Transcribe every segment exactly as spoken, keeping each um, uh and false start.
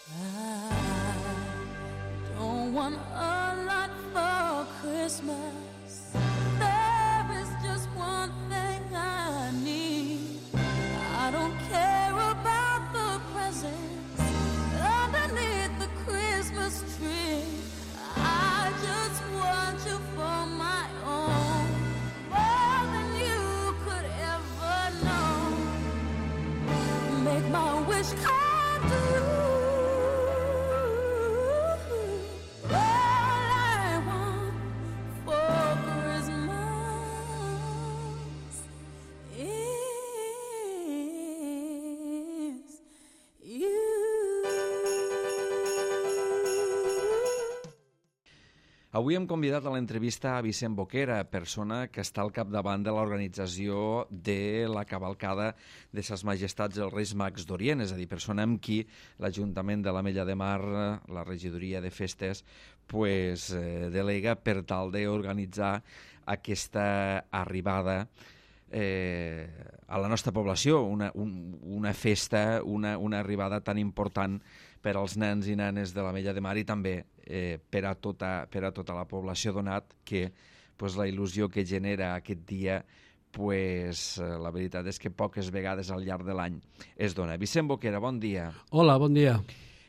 I don't want a lot for Christmas. There is just one thing I need. I don't care about the presents underneath the Christmas tree. I just want you for my own, more than you could ever know. Make my wish come true. Avui hem convidat a l'entrevista a Vicent Boquera, persona que està al capdavant de l'organització de la cavalcada de Ses Majestats dels Reis Mags d'Orient, és a dir, persona amb qui l'Ajuntament de l'Ametlla de Mar, la regidoria de festes, pues, eh, delega per tal d'organitzar aquesta arribada eh, a la nostra població, una, un, una festa, una, una arribada tan important per als nens i nenes de l'Ametlla de Mar i també eh, per, a tota, per a tota la població, donat que pues, la il·lusió que genera aquest dia, pues, eh, la veritat és que poques vegades al llarg de l'any es dona. Vicent Boquera, bon dia. Hola, bon dia.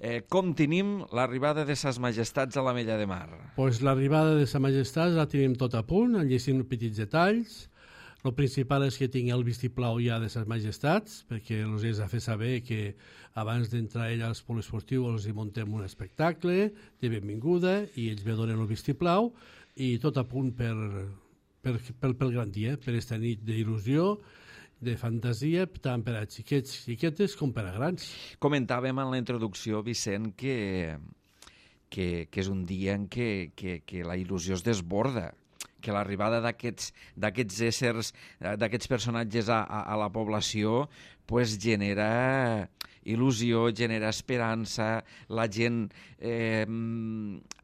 Eh, com tenim l'arribada de Ses Majestats a l'Ametlla de Mar? Pues l'arribada de Ses Majestats la tenim tot a punt, en llegim petits detalls. El principal és que tingui el vistiplau ja de Ses Majestats, perquè els has de fer saber que abans d'entrar ella als poliesportius els hi muntem un espectacle de benvinguda i ells ve donen el vistiplau i tot a punt per, per, per, pel gran dia, per aquesta nit d'il·lusió, de fantasia, tant per a xiquets i xiquetes com per a grans. Comentàvem en la introducció, Vicent, que, que, que és un dia en què que, que la il·lusió es desborda, que l'arribada d'aquests d'aquests éssers, d'aquests personatges a, a, a la població pues, genera il·lusió, genera esperança, la gent eh,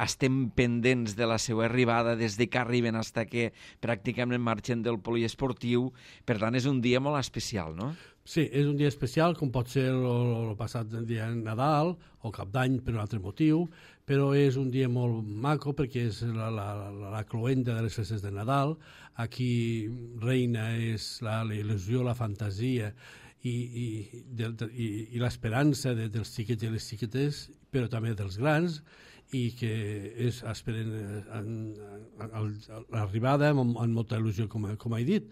estem pendents de la seva arribada des de que arriben fins que pràcticament marxen del poliesportiu, per tant és un dia molt especial, no? Sí, és un dia especial, com pot ser el, el passat dia de Nadal o Cap d'Any per un altre motiu, però és un dia molt maco perquè és la, la, la, la cloenda de les festes de Nadal. Aquí reina és la, la il·lusió, la fantasia i, i, de, de, i, i l'esperança de, dels xiquets i les xiquetes, però també dels grans, i que és, esperen en, en, en, l'arribada amb, amb molta il·lusió, com, com he dit.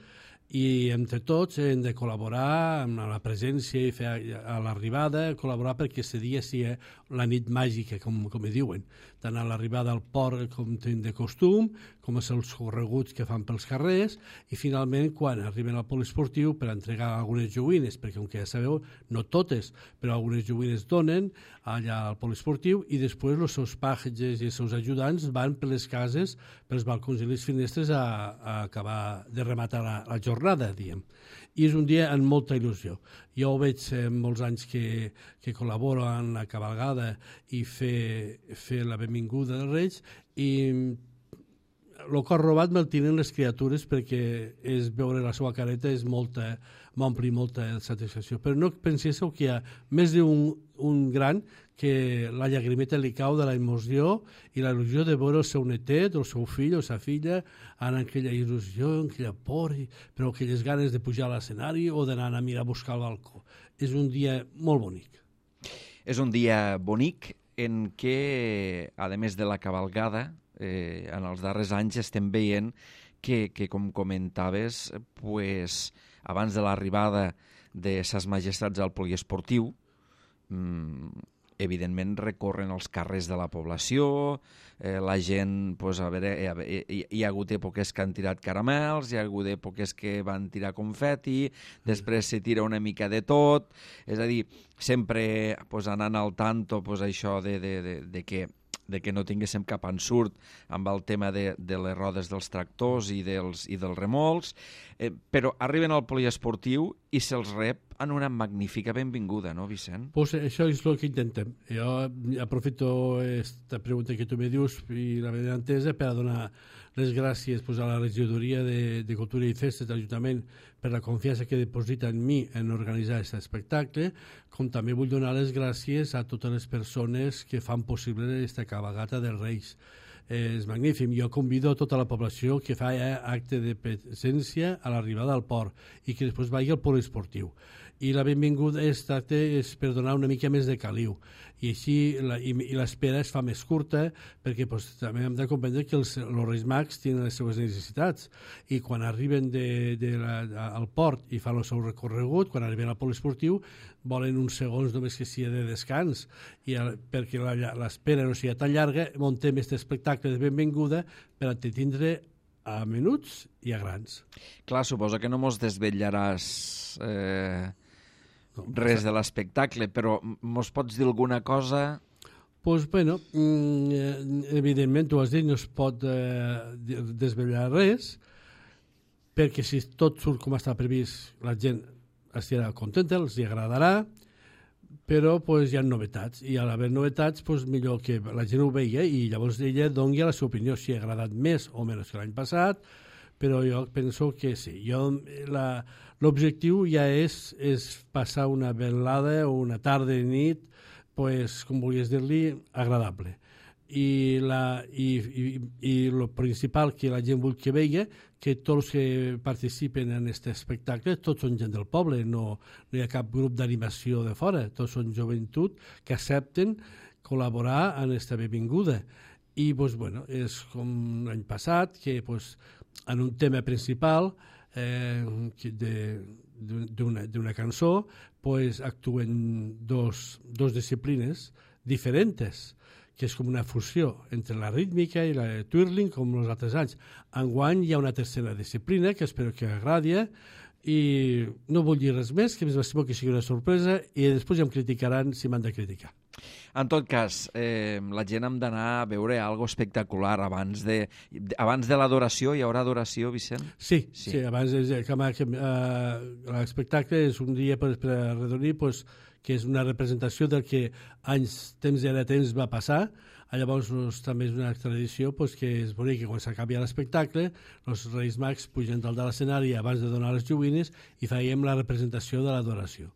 I entre tots hem de col·laborar amb la presència i fer a l'arribada, col·laborar perquè aquest dia sigui la nit màgica, com, com hi diuen, tant a l'arribada al port com tenim de costum, com és els correguts que fan pels carrers, i finalment quan arriben al poliesportiu per entregar algunes joguines, perquè com que ja sabeu, no totes, però algunes joguines donen allà al poliesportiu, i després els seus pages i els seus ajudants van per les cases, pels balcons i les finestres a, a acabar de rematar la, la jornada, diguem. I és un dia amb molta il·lusió. Jo ho veig eh, molts anys que, que col·laboro en la cavalgada i fer, fer la benvinguda dels Reis, i el cor robat me'l tenen les criatures perquè és veure la seva careta és molta, m'ompli molta satisfacció. Però no penséssiu que hi ha més d'un un gran que la llagrimeta li cau de la emoció i la il·lusió de veure el seu netet, el seu fill o sa filla en aquella il·lusió, en aquella por, però aquelles ganes de pujar a l'escenari o d'anar a mirar a buscar el balcó. És un dia molt bonic. És un dia bonic en què, a més de la cavalgada, eh, en els darrers anys estem veient que, que com comentaves, pues, abans de l'arribada de Ses Majestats al poliesportiu, mm, evidentment recorren els carrers de la població, eh, la gent, pues, a veure, hi, hi, hi ha hagut èpoques que han tirat caramels, hi ha hagut èpoques que van tirar confeti, després se tira una mica de tot, és a dir, sempre pues, anant al tanto pues, això de, de, de, de que de que no tinguéssim cap ensurt amb el tema de, de les rodes dels tractors i dels, i dels remolcs, eh, però arriben al poliesportiu i se'ls rep en una magnífica benvinguda, no, Vicent? Pues això és el que intentem. Jo aprofito aquesta pregunta que tu me dius i la meva entesa per a donar les gràcies pues, a la regidoria de, de Cultura i Festes de l'Ajuntament per la confiança que deposita en mi en organitzar aquest espectacle, com també vull donar les gràcies a totes les persones que fan possible aquesta cabalgata dels Reis. Eh, és magnífic. Jo convido a tota la població que fa eh, acte de presència a l'arribada al port i que després vagi al poliesportiu. I la benvinguda és, és per donar una mica més de caliu. I així la, i, i l'espera es fa més curta perquè pues, també hem de comprendre que els, els Reis Mags tenen les seves necessitats i quan arriben de, de la, al port i fan el seu recorregut, quan arriben al poliesportiu volen uns segons només que sigui de descans i el, perquè l'espera no sigui tan llarga muntem aquest espectacle de benvinguda per entretindre a menuts i a grans. Clar, suposo que no mos desvetllaràs eh, res de l'espectacle, però mos pots dir alguna cosa? Pues, bueno, evidentment, tu has dit, no es pot eh, desvetllar res, perquè si tot surt com està previst, la gent estarà contenta, els agradarà, però pues, hi ha novetats, i a l'haver novetats pues, millor que la gent ho veia i llavors ella doni la seva opinió, si ha agradat més o menys que l'any passat, però jo penso que sí. L'objectiu ja és, és passar una velada o una tarda i nit, pues, com volies dir-li, agradable. I, la, i, i, i el principal que la gent vol que veia, que tots que participen en aquest espectacle, tots són gent del poble, no, no hi ha cap grup d'animació de fora, tots són joventut que accepten col·laborar en aquesta benvinguda. I pues, bueno, és com l'any passat, que pues, en un tema principal eh, d'una cançó pues, actuen dos, dos disciplines diferents, que és com una fusió entre la rítmica i la twirling, com els altres anys. Enguany hi ha una tercera disciplina, que espero que agradi, i no vull dir res més, que més m'estimo que sigui una sorpresa, i després ja em criticaran si m'han de criticar. En tot cas, eh, la gent hem d'anar a veure algo espectacular abans de, abans de l'adoració. Hi haurà adoració, Vicent? Sí, sí, sí abans de, que, que, uh, l'espectacle és un dia per, per arredonir, pues, que és una representació del que anys, temps i ara temps va passar. Llavors pues, també és una tradició pues, que és bonic que quan s'acabi l'espectacle els Reis Mags pugen dalt de l'escenari abans de donar les joguines i faiem la representació de l'adoració.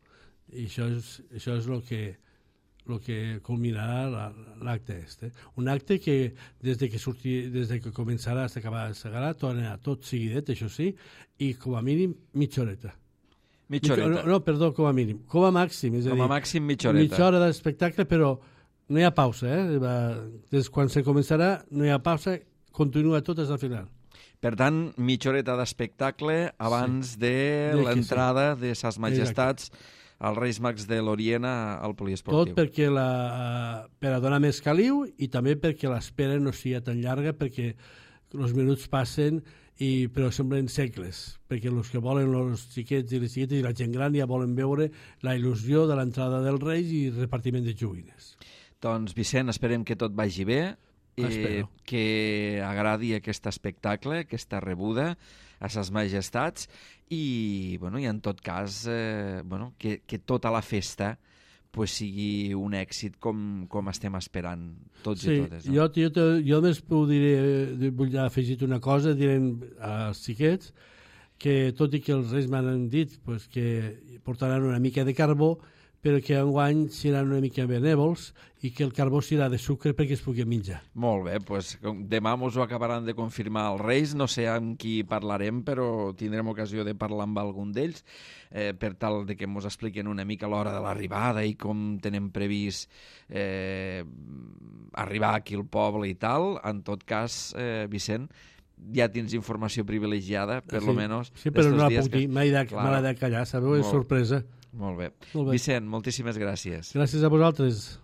I això és, això és el que el que culminarà l'acte este. Un acte que des de que, surti, des de que començarà fins acabar de segarà, tornarà tot seguidet, això sí, i com a mínim mitja horeta. Mitja horeta? No, no, perdó, com a mínim. Com a màxim. És a com a dir, màxim mitja horeta. Mitja hora d'espectacle, però no hi ha pausa. Eh? Des quan se començarà no hi ha pausa, continua tot fins al final. Per tant, mitja horeta d'espectacle abans sí. de, de l'entrada sí. de Ses Majestats Exacte. als Reis Mags de l'Orient al poliesportiu. Tot perquè la, per a donar més caliu i també perquè l'espera no sigui tan llarga, perquè els minuts passen i, però semblen segles, perquè els que volen els xiquets i les xiquetes i la gent gran ja volen veure la il·lusió de l'entrada dels Reis i repartiment de joguines. Doncs, Vicent, esperem que tot vagi bé, eh, que agradi aquest espectacle, aquesta rebuda a Ses Majestats i, bueno, i en tot cas eh, bueno, que, que tota la festa pues, sigui un èxit com, com estem esperant tots sí, i totes. No? Jo, jo, jo més diré, vull afegir una cosa, diré als xiquets que tot i que els Reis m'han dit pues, que portaran una mica de carbó, però que enguany seran una mica benèvols i que el carbó serà de sucre perquè es pugui menjar. Molt bé, doncs demà mos ho acabaran de confirmar els Reis, no sé amb qui parlarem, però tindrem ocasió de parlar amb algun d'ells, eh, per tal de que mos expliquen una mica l'hora de l'arribada i com tenen previst eh, arribar aquí al poble i tal. En tot cas, eh, Vicent, ja tens informació privilegiada, per sí, lo menos. Sí, però no la puc dir, m'ha de, de callar, sabeu? És sorpresa. Molt bé. Molt bé. Vicent, moltíssimes gràcies. Gràcies a vosaltres.